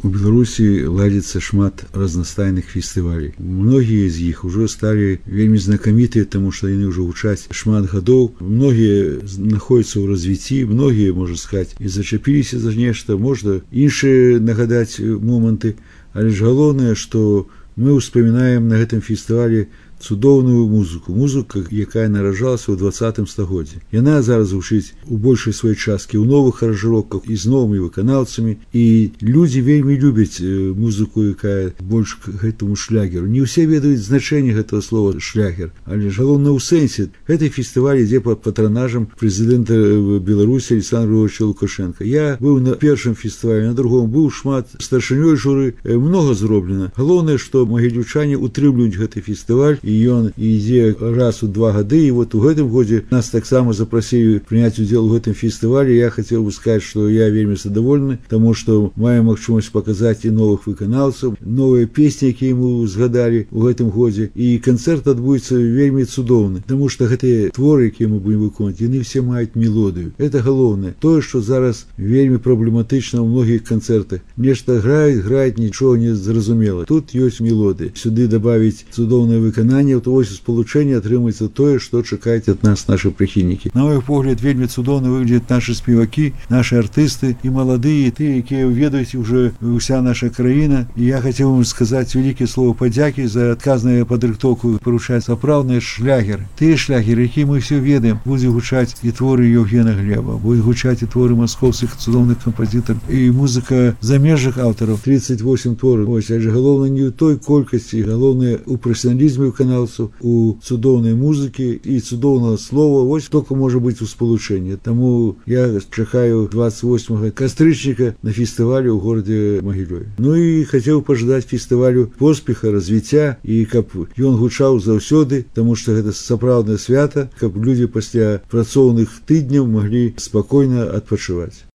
У Беларусі ладзіцца шмат разнастайных фестывалей. Многія з іх ужо сталі вельмі знакамітыя, таму што яны ўжо гучаць шмат гадоў. Многія знаходзяцца ў развіцці, многія, можна сказаць, і зачапіліся за нешта, можна іншыя нагадаць моманты, але ж галоўнае, што мы ўспамінаем на гэтым фестывалі цудоўную музыку, якая нараджалася ў 20 стагоддзі. Яна зараз гучыць у большай сваёй часткі ў новых аранжыроўках і з новымі выканаўцамі, і людзі вельмі любяць музыку, якая больш к гэтаму шлягеру. Не ўсе ведаюць значэнне гэтага слова шлягер, але ж галоўна ў сэнсе. Гэты фестываль ідзе пад патранажам прэзідэнта Беларусі Александра Григорьевича Лукашенка. Я быў на першым фестывалі, на другом быў шмат старшынёй журы, многа зроблена. Галоўнае, што магілёўчане утрымліваюць гэты фестываль, і ён ідзе раз у 2 гады, і вот у гэтым годзе нас таксама запрасілі прыняць удзел у гэтым фестывалі. Я хацеў бы сказаць, што я вельмі задаволены, таму што маем магчымасць паказаць і новых выканаўцаў, новыя песні, якія мы згадалі у гэтым годзе, і канцэрт адбудзецца вельмі цудоўны, таму што гэтыя творы, якія мы будзем выконваць, яны все маюць мелодыю. Это галоўнае. Тое, што зараз вельмі праблематычна ў многіх канцэртах. Нешта граюць, нічога не зразумела. Тут ёсць мелодыя. Сюды дабавіць цудоўнае выкананне, то вось спалучэнне атрымаецца тое, што чакаюць ад нас нашы прыхільнікі. На мой погляд, вельмі цудоўна выглядзяць нашы спевакі, нашы артысты, і маладыя, і тыя, якія ведаюць уже ўся наша краіна. І я хацеў вам сказаць вялікія слова падзякі за адказную падрыхтоўку, парушаць сапраўдныя шлягеры. Тыя шлягеры, якія мы ўсе ведаем, будзе гучаць і творы Евгена Глеба, будзе гучаць і творы маскоўскіх цудоўных кампазітараў, і музыка замежных аўтараў, 38 твораў. Вось, але галоўнае не ў той колькасці, галоўнае ў прафесіяналізме выканаўцаў, у цудоўнай музыкі і цудоўнага слова. Вось толькі можа быць у спалучэнні. Таму я чакаю 28 кастрычніка на фестывалі ў горадзе Магілёве. Ну і хацеў пажадаць фестывалю поспеха, развіцця, і каб ён гучаў заўсёды, таму што гэта сапраўднае свята, каб людзі пасля працоўных тыдняў маглі спакойна адпачываць.